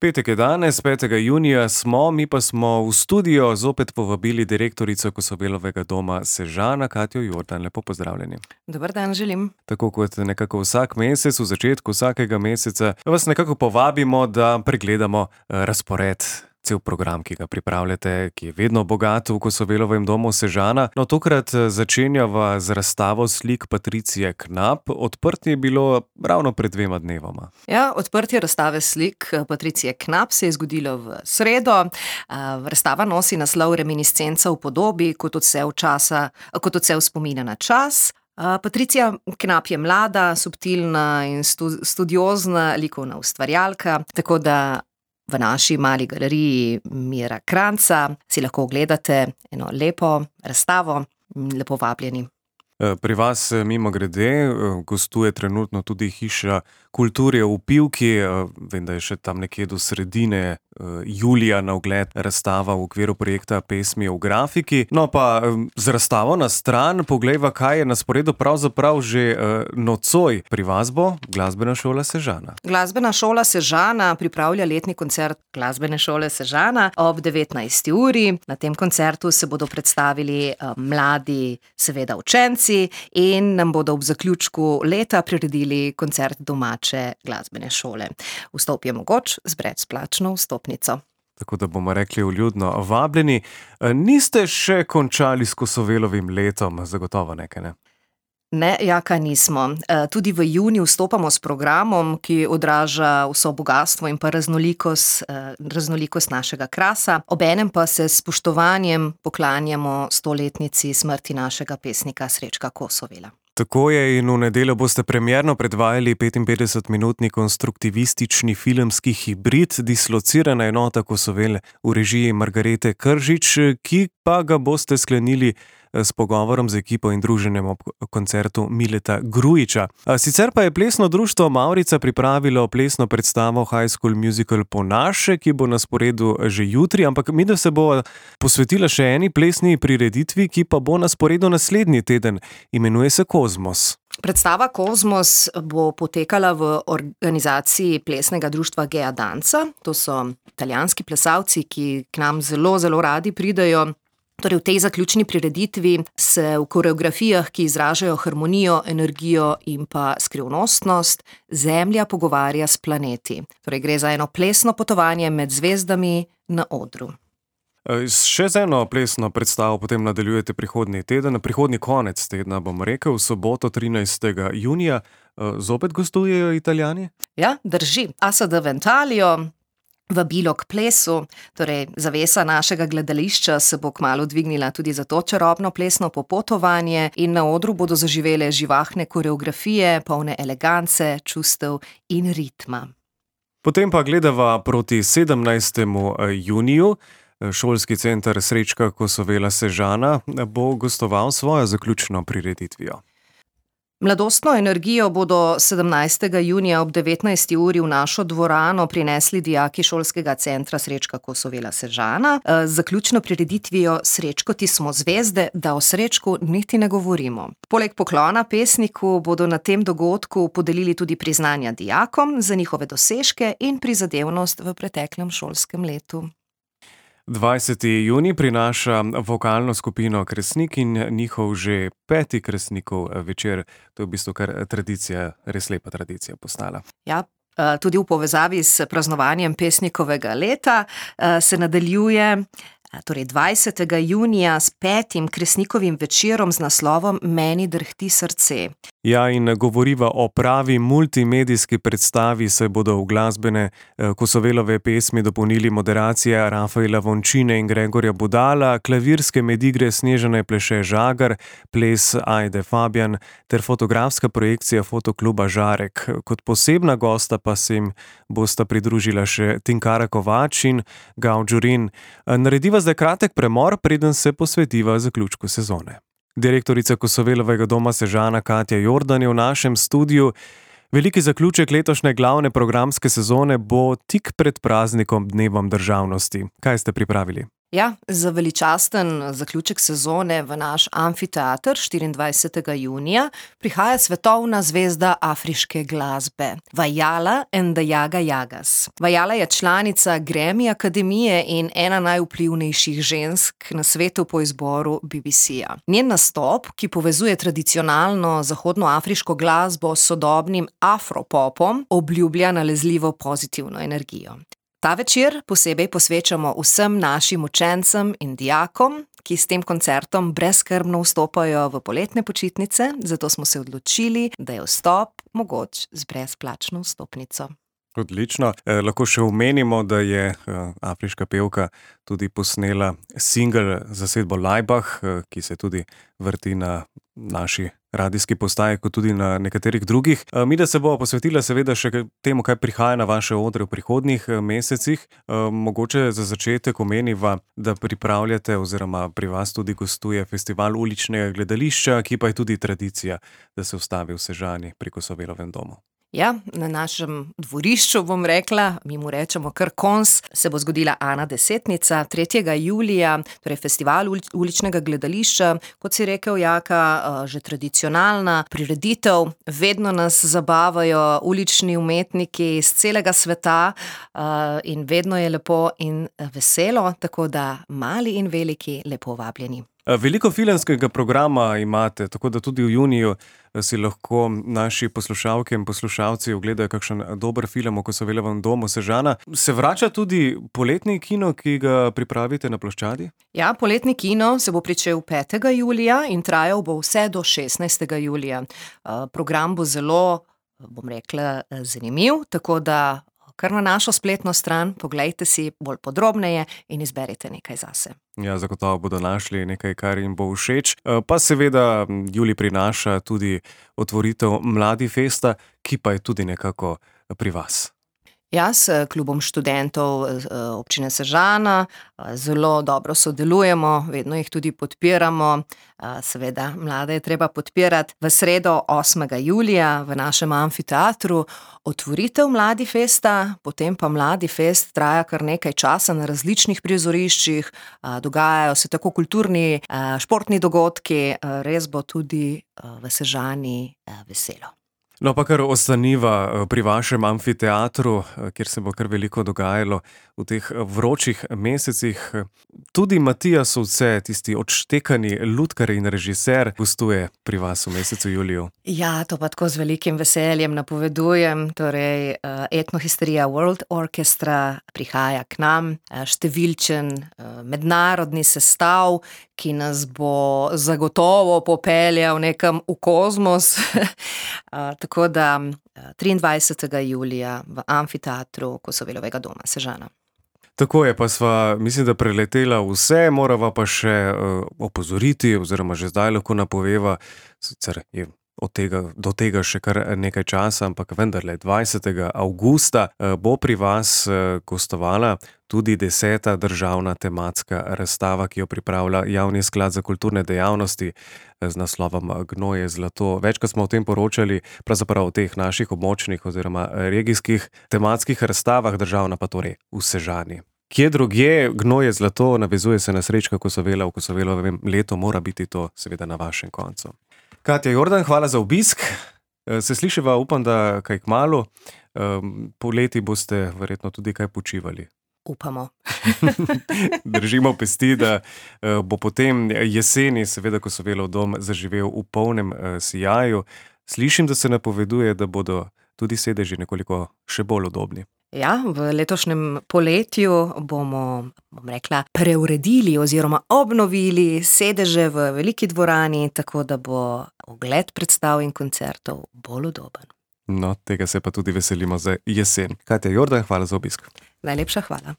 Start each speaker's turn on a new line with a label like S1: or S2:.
S1: Petek je danes, 5. junija smo, mi pa smo v studio zopet povabili direktorico Kosovelovega doma Sežana, Katjo Jordan. Lepo pozdravljeni.
S2: Dober dan želim.
S1: Tako kot nekako vsak mesec, v začetku vsakega meseca, vas nekako povabimo, da pregledamo razpored. Cel program, ki ga pripravljate, ki je vedno bogat v Kosovelovem domu Sežana. No, tokrat začenjava z razstavo slik Patricije Knap. Odprtje je bilo ravno pred 2 dnevoma.
S2: Ja, odprtje razstave slik Patricije Knap se je zgodilo v sredo. Razstava nosi naslov Reminiscenca v podobi, kot odsev spomina na čas. Patricija Knap je mlada, subtilna in studiozna likovna ustvarjalka, tako da v naši mali galeriji Mira Kranjca si lahko ogledate eno lepo razstavo. Lepo vabljeni.
S1: Pri vas, mimogrede, gostuje trenutno tudi Hiša kulture v Pivki. Vem, da je še tam nekje do sredine julija na ogled razstava v okviru projekta Pesmi v grafiki. No pa z razstavo na stran poglejva, kaj je na sporedu pravzaprav že nocoj. Pri vas bo Glasbena šola Sežana.
S2: Glasbena šola Sežana pripravlja letni koncert Glasbene šole Sežana ob 19. uri. Na tem koncertu se bodo predstavili mladi, seveda učenci, in nam bodo ob zaključku leta priredili koncert domače glasbene šole. Vstop je mogoč z brezplačno vstopnico.
S1: Tako da bomo rekli vljudno vabljeni. Niste še končali s Kosovelovim letom, zagotovo nekaj, ne?
S2: Ne, Jaka, nismo. Tudi v juniju vstopamo s programom, ki odraža vso bogastvo in pa raznolikost našega krasa. Obenem pa se s spoštovanjem poklanjamo 100-letnici smrti našega pesnika Srečka Kosovela.
S1: Tako je, in v nedeljo boste premierno predvajali 55-minutni konstruktivistični filmski hibrid Dislocirana enota Kosovel v režiji Margarete Kržič, ki pa ga boste sklenili s pogovorom z ekipo in druženjem ob koncertu Mileta Grujiča. Sicer pa je plesno društvo Mavrica pripravilo plesno predstavo High School Musical Po naše, ki bo na sporedu že jutri, ampak midva se bo posvetila še eni plesni prireditvi, ki pa bo na sporedu naslednji teden. Imenuje se Kozmos.
S2: Predstava Kozmos bo potekala v organizaciji plesnega društva Gea Danca. To so italijanski plesalci, ki k nam zelo, zelo radi pridejo. Torej v tej zaključni prireditvi se v koreografijah, ki izražajo harmonijo, energijo in pa skrivnostnost, Zemlja pogovarja s planeti. Torej gre za eno plesno potovanje med zvezdami na odru.
S1: Še z eno plesno predstavo potem nadaljujete prihodnji teden, prihodnji konec tedna, bom rekel, v soboto 13. junija. Zopet gostujejo Italijani?
S2: Ja, drži. ASD Ventalio, vabilo k plesu, torej zavesa našega gledališča se bo kmalu dvignila tudi za to čarobno plesno popotovanje in na odru bodo zaživele živahne koreografije, polne elegance, čustev in ritma.
S1: Potem pa gledava proti 17. juniju. Šolski center Srečka Kosovela Sežana bo gostoval svojo zaključno prireditvijo.
S2: Mladostno energijo bodo 17. junija ob 19. uri v našo dvorano prinesli dijaki Šolskega centra Srečka Kosovela Sežana z zaključno prireditvijo Srečko, ti smo zvezde, da o Srečku niti ne govorimo. Poleg poklona pesniku bodo na tem dogodku podelili tudi priznanja dijakom za njihove dosežke in prizadevnost v preteklem šolskem letu.
S1: 20. junij prinaša vokalno skupino Kresnik in njihov že 5. Kresnikov večer. To je v bistvu kar tradicija, res lepa tradicija postala.
S2: Ja, tudi v povezavi s praznovanjem pesnikovega leta se nadaljuje torej 20. junija s 5. Kresnikovim večerom z naslovom Meni drhti srce.
S1: Ja, in govoriva o pravi multimedijski predstavi, saj bodo v glasbene Kosovelove pesmi dopolnili moderacija Rafaela Vončine in Gregorja Budala, klavirske medigre Snežane Pleše Žagar, ples Ajde Fabijan ter fotografska projekcija fotokluba Žarek. Kot posebna gosta pa se jim bosta pridružila še Tinkara Kovač in Gao Đurin. Narediva zdaj kratek premor, preden se posvetiva zaključku sezone. Direktorica Kosovelovega doma Sežana Katja Jordan je v našem studiu. Veliki zaključek letošnje glavne programske sezone bo tik pred praznikom Dnevom državnosti. Kaj ste pripravili?
S2: Ja, za veličasten zaključek sezone v naš amfiteater 24. junija prihaja svetovna zvezda afriške glasbe, Vajala and the Jaga Jagas. Vajala je članica Grammy akademije in ena najvplivnejših žensk na svetu po izboru BBC-ja. Njen nastop, ki povezuje tradicionalno zahodnoafriško glasbo s sodobnim afropopom, obljublja nalezljivo pozitivno energijo. Ta večer posebej posvečamo vsem našim učencem in dijakom, ki s tem koncertom brezskrbno vstopajo v poletne počitnice, zato smo se odločili, da je vstop mogoč z brezplačno vstopnico.
S1: Odlično. Lahko še omenimo, da je afriška pevka tudi posnela singel z zasedbo Laibach, ki se tudi vrti na naši radijski postaji, kot tudi na nekaterih drugih. Mida se bo posvetila seveda še temu, kaj prihaja na vaše odre v prihodnjih mesecih. Mogoče za začetek omeniva, da pripravljate oziroma pri vas tudi gostuje festival uličnega gledališča, ki pa je tudi tradicija, da se ustavi v Sežani pri Kosovelovem domu.
S2: Ja, na našem dvorišču, bom rekla, mi mu rečemo kar Kons, se bo zgodila Ana desetnica 3. julija, torej festival uličnega gledališča, kot si rekel, Jaka, že tradicionalna prireditev. Vedno nas zabavajo ulični umetniki iz celega sveta in vedno je lepo in veselo, tako da mali in veliki lepo vabljeni.
S1: Veliko filmskega programa imate, tako da tudi v juniju si lahko naši poslušalke in poslušalci ogledajo kakšen dober film o Kosovelovem domu Sežana. Se vrača tudi poletni kino, ki ga pripravite na ploščadi?
S2: Ja, poletni kino se bo pričel 5. julija in trajal bo vse do 16. julija. Program bo zelo, bom rekla, zanimiv, tako da kar na našo spletno stran poglejte si bolj podrobneje in izberite nekaj zase.
S1: Ja, zagotovo bodo našli nekaj, kar jim bo všeč. Pa seveda julij prinaša tudi otvoritev Mladifesta, ki pa je tudi nekako pri vas.
S2: Ja, s klubom študentov občine Sežana zelo dobro sodelujemo, vedno jih tudi podpiramo. Seveda, mlade je treba podpirati. V sredo 8. julija v našem amfiteatru otvoritev Mladifesta, potem pa Mladifest traja kar nekaj časa na različnih prizoriščih, dogajajo se tako kulturni, športni dogodki, res bo tudi v Sežani veselo.
S1: No, pa kar ostaniva pri vašem amfiteatru, kjer se bo kar veliko dogajalo v teh vročih mesecih. Tudi Matija Sovce, tisti odštekani lutkar in režiser, gostuje pri vas v mesecu juliju.
S2: Ja, to pa tako z velikim veseljem napovedujem. Torej, Etnohisterija World Orchestra prihaja k nam, številčen mednarodni sestav, ki nas bo zagotovo popeljal nekam v kozmos. Tako da 23. julija v amfiteatru Kosovelovega doma Sežana.
S1: Tako je, pa sva, mislim, da preletela vse, morava pa še opozoriti, oziroma že zdaj lahko napoveva, sicer je do tega še kar nekaj časa, ampak vendarle 20. avgusta bo pri vas gostovala tudi 10. državna tematska razstava, ki jo pripravlja Javni sklad za kulturne dejavnosti z naslovom Gnoj je zlato. Večkrat smo o tem poročali, pravzaprav o teh naših območnih oziroma regijskih tematskih razstavah, državna pa torej v Sežani. Kje drugje Gnoj je zlato, navezuje se na Srečka Kosovela v Kosovelovem letu, mora biti to seveda na vašem koncu. Katja Jordan, hvala za obisk. Se slišiva, upam, da kaj kmalu. Poleti boste verjetno tudi kaj počivali.
S2: Upamo.
S1: Držimo pesti, da bo potem jeseni seveda Kosovelov dom zaživel v polnem sijaju. Slišim, da se napoveduje, da bodo tudi sedeži nekoliko še bolj udobni.
S2: Ja, v letošnjem poletju bomo, bom rekla, preuredili oziroma obnovili sedeže v veliki dvorani, tako da bo ogled predstav in koncertov bolj udoben.
S1: No, tega se pa tudi veselimo za jesen. Katja Jordan, hvala za obisk.
S2: Najlepša hvala.